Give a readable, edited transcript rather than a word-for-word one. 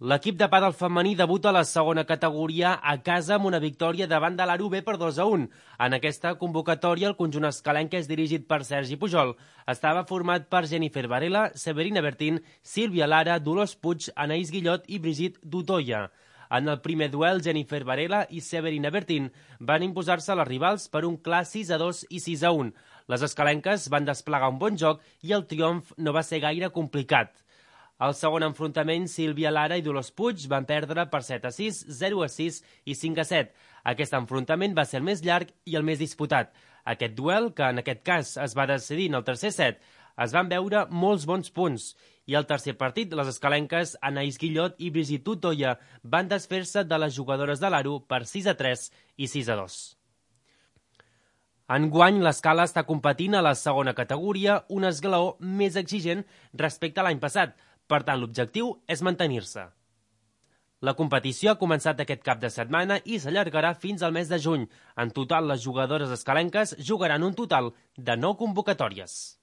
L'equip de pàdel femení debuta a la segona categoria a casa amb una victòria davant de l'Aro B per 2-1. En aquesta convocatòria, el conjunt escalenc, que és dirigit per Sergi Pujol, estava format per Jennifer Varela, Severina Bertín, Sílvia Lara, Dolors Puig, Anaïs Guillot i Brigitte Dutoya. En el primer duel, Jennifer Varela i Severina Bertín van imposar-se a les rivals per un clar 6-2 i 6-1. Les escalenques van desplegar un bon joc i el triomf no va ser gaire complicat. Al segon enfrontament, Sílvia Lara i Dolors Puig van perdre per 7-6, 0-6 i 5-7. Aquest enfrontament va ser el més llarg i el més disputat. Aquest duel, que en aquest cas es va decidir en el tercer set, es van veure molts bons punts. I al tercer partit, les escalenques Anaïs Guillot i Brigitte Dutoya van desfer-se de les jugadores de l'Aro per 6-3 i 6-2. Enguany, l'Escala està competint a la segona categoria, un esglaó més exigent respecte a l'any passat. Per tant, l'objectiu és mantenir-se. La competició ha començat aquest cap de setmana i s'allargarà fins al mes de juny. En total, les jugadores escalenques jugaran un total de 9 convocatòries.